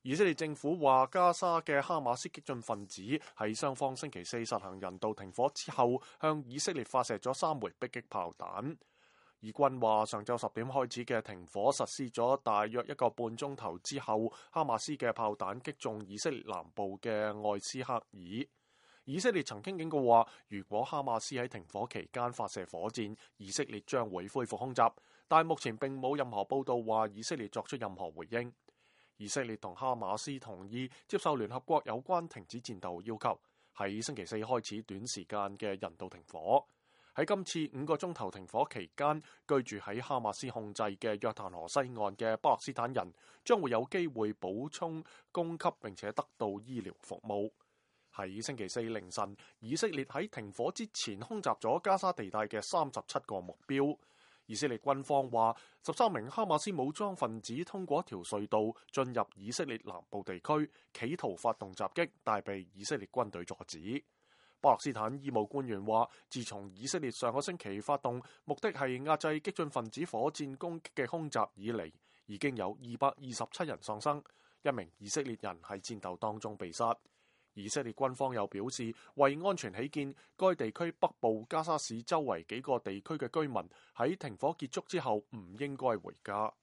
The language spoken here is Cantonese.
以色列政府話，加沙嘅哈馬斯激進分子喺雙方星期四實行人道停火之後，向以色列發射咗3枚迫擊炮彈。以軍話，上晝10點開始嘅停火實施咗大約1個半鐘頭之後，哈馬斯嘅炮彈擊中以色列南部嘅愛斯克爾。以色列曾經警告話，如果哈馬斯喺停火期間發射火箭，以色列將會恢復空襲，但目前並冇任何報道話以色列作出任何回應。以色列同哈馬斯同意接受聯合國有關停止戰鬥要求，喺星期四開始短時間嘅人道停火。喺今次5個鐘頭停火期間，居住喺哈馬斯控制嘅約旦河西岸嘅巴勒斯坦人將會有機會補充供給並且得到醫療服務。喺星期四凌晨，以色列喺停火之前空襲咗加沙地帶嘅37個目標。以色列軍方話，13名哈馬斯武裝分子通過一條隧道進入以色列南部地區，企圖發動襲擊，但被以色列軍隊阻止。巴勒斯坦醫務官員話，自從以色列上個星期發動目的係壓制激進分子火箭攻擊嘅空襲以嚟，已經有227人喪生，1名以色列人喺戰鬥當中被殺。以色列軍方又表示，為安全起見，該地區北部加沙市周圍幾個地區嘅居民喺停火結束之後唔應該回家。